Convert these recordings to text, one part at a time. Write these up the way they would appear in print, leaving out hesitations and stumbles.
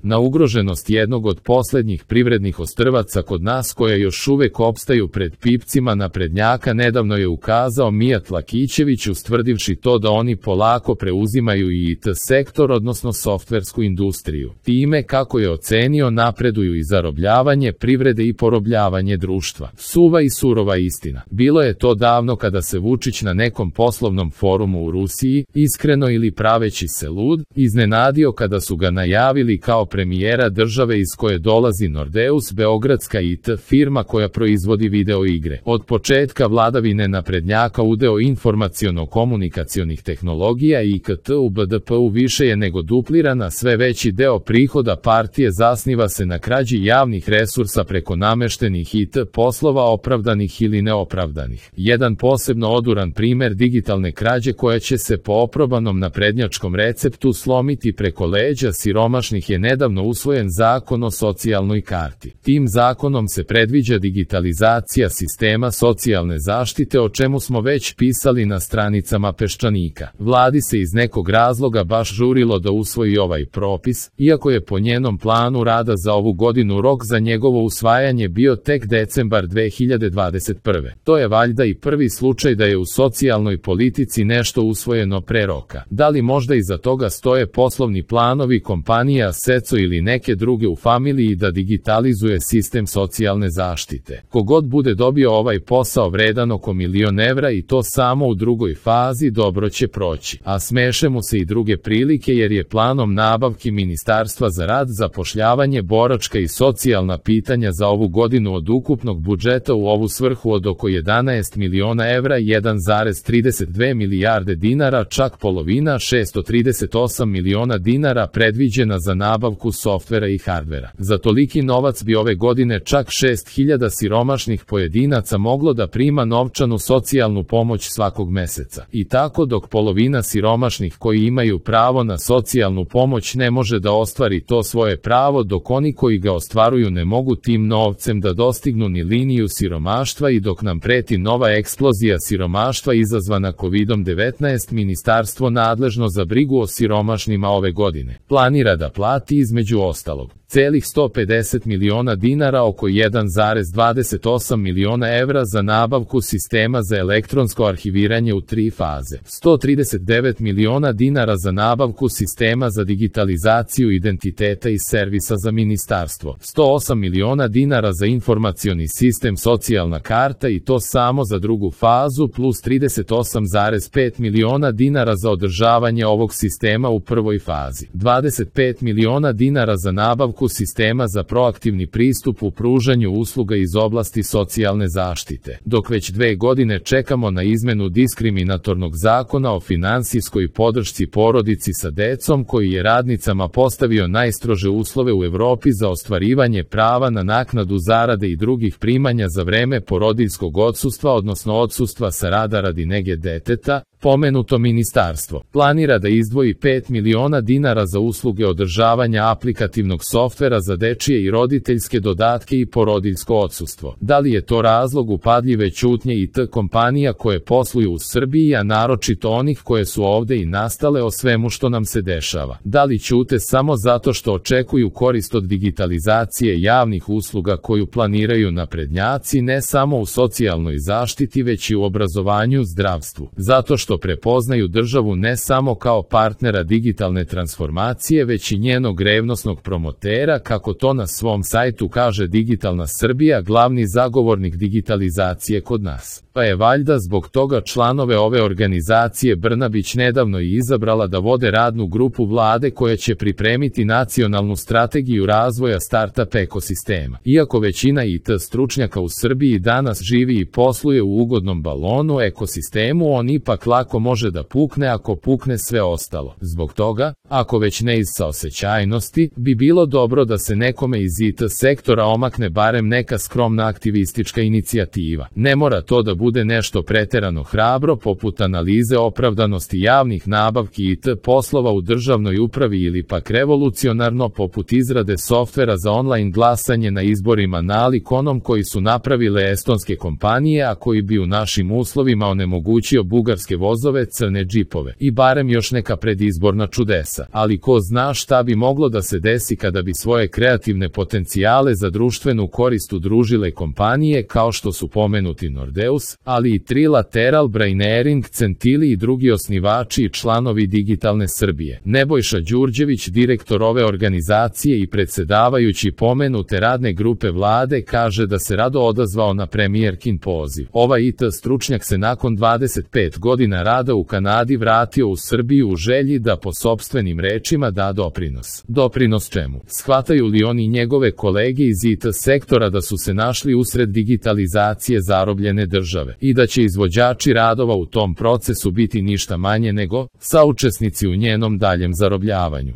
Na ugroženost jednog od posljednjih privrednih ostrvaca kod nas koje još uvek opstaju pred pipcima naprednjaka nedavno je ukazao Mijat Lakićević ustvrdivši to da oni polako preuzimaju i IT sektor odnosno softversku industriju. Time, kako je ocenio, napreduju i zarobljavanje privrede i porobljavanje društva. Suva i surova istina. Bilo je to davno kada se Vučić na nekom poslovnom forumu u Rusiji, iskreno ili praveći se lud, iznenadio kada su ga najavili kao premijera države iz koje dolazi Nordeus, beogradska IT firma koja proizvodi video igre. Od početka vladavine naprednjaka udeo informaciono-komunikacionih tehnologija i IKT u BDP-u više je nego duplirana, sve veći deo prihoda partije zasniva se na krađi javnih resursa preko nameštenih IT poslova opravdanih ili neopravdanih. Jedan posebno oduran primer digitalne krađe koja će se po oprobanom naprednjačkom receptu slomiti preko leđa siromašnih je nedavno usvojen zakon o socijalnoj karti. Tim zakonom se predviđa digitalizacija sistema socijalne zaštite o čemu smo već pisali na stranicama Peščanika. Vladi se iz nekog razloga baš žurilo da usvoji ovaj propis, iako je po njenom planu rada za ovu godinu rok za njegovo usvajanje bio tek decembar 2021. To je valjda i prvi slučaj da je u socijalnoj politici nešto usvojeno pre roka. Da li možda iza toga stoje poslovni planovi kompanija Seco ili neke druge u familiji da digitalizuje sistem socijalne zaštite? Kogod bude dobio ovaj posao vredan oko 1.000.000 evra i to samo u drugoj fazi dobro će proći. A smeše mu se i druge prilike jer je planom nabavki Ministarstva za rad, zapošljavanje, boračka i socijalna pitanja za ovu godinu od ukupnog budžeta u ovu svrhu od oko 11 miliona evra 1,32 milijarde dinara, čak polovina 638 miliona dinara predviđena za nabavku softvera i hardvera. Za toliki novac bi ove godine čak 6.000 siromašnih pojedinaca moglo da prima novčanu socijalnu pomoć svakog meseca. I tako dok polovina siromašnih koji imaju pravo na socijalnu pomoć ne može da ostvari to svoje pravo, dok oni koji ga ostvaruju ne mogu tim novcem da dostignu ni liniju siromaštva i dok nam preti nova eksplozija siromaštva izazvana COVID-19, ministarstvo nadležno za brigu o siromašnima ove godine planira da plati između ostalog celih 150 miliona dinara, oko 1,28 miliona evra za nabavku sistema za elektronsko arhiviranje u 3 faze, 139 miliona dinara za nabavku sistema za digitalizaciju identiteta i servisa za ministarstvo, 108 miliona dinara za informacioni sistem socijalna karta i to samo za drugu fazu, plus 38,5 miliona dinara za održavanje ovog sistema u prvoj fazi, 25 miliona dinara za nabavku sistema za proaktivni pristup u pružanju usluga iz oblasti socijalne zaštite. Dok već 2 godine čekamo na izmenu diskriminatornog zakona o finansijskoj podršci porodici sa decom koji je radnicama postavio najstrože uslove u Evropi za ostvarivanje prava na naknadu zarade i drugih primanja za vreme porodiljskog odsustva odnosno odsustva sa rada radi nege deteta, pomenuto ministarstvo planira da izdvoji 5 miliona dinara za usluge održavanja aplikativnog softvera za dečije i roditeljske dodatke i porodiljsko odsustvo. Da li je to razlog upadljive ćutnje IT kompanija koje posluju u Srbiji, a naročito onih koje su ovde i nastale o svemu što nam se dešava? Da li ćute samo zato što očekuju korist od digitalizacije javnih usluga koju planiraju naprednjaci ne samo u socijalnoj zaštiti već i u obrazovanju, zdravstvu? Zato što prepoznaju državu ne samo kao partnera digitalne transformacije već i njenog revnosnog promotera, kako to na svom sajtu kaže Digitalna Srbija, glavni zagovornik digitalizacije kod nas. Pa je valjda zbog toga članove ove organizacije Brnabić nedavno i izabrala da vode radnu grupu vlade koja će pripremiti nacionalnu strategiju razvoja startup ekosistema. Iako većina IT stručnjaka u Srbiji danas živi i posluje u ugodnom balonu ekosistemu, on ipak lako može da pukne ako pukne sve ostalo. Zbog toga, ako već ne iz saosećajnosti, bi bilo dobro da se nekome iz IT sektora omakne barem neka skromna aktivistička inicijativa. Ne mora to da bude nešto preterano hrabro poput analize opravdanosti javnih nabavki IT poslova u državnoj upravi ili pak revolucionarno poput izrade softvera za online glasanje na izborima nalik onom koji su napravile estonske kompanije, a koji bi u našim uslovima onemogućio bugarske vozove, crne džipove i barem još neka predizborna čudesa. Ali ko zna šta bi moglo da se desi kada bi svoje kreativne potencijale za društvenu korist udružile kompanije kao što su pomenuti Nordeus, ali i Trilateral, Brainering, Centili i drugi osnivači i članovi Digitalne Srbije. Nebojša Đurđević, direktor ove organizacije i predsedavajući pomenute radne grupe vlade, kaže da se rado odazvao na premijerkin poziv. Ovaj IT stručnjak se nakon 25 godina rada u Kanadi vratio u Srbiju u želji da po sopstvenim rečima da doprinos. Doprinos čemu? Shvataju li oni njegove kolege iz IT sektora da su se našli usred digitalizacije zarobljene države i da će izvođači radova u tom procesu biti ništa manje nego saučesnici u njenom daljem zarobljavanju.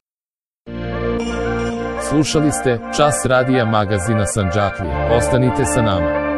Slušali ste Čas radija magazina Sandžaklija. Ostanite sa nama.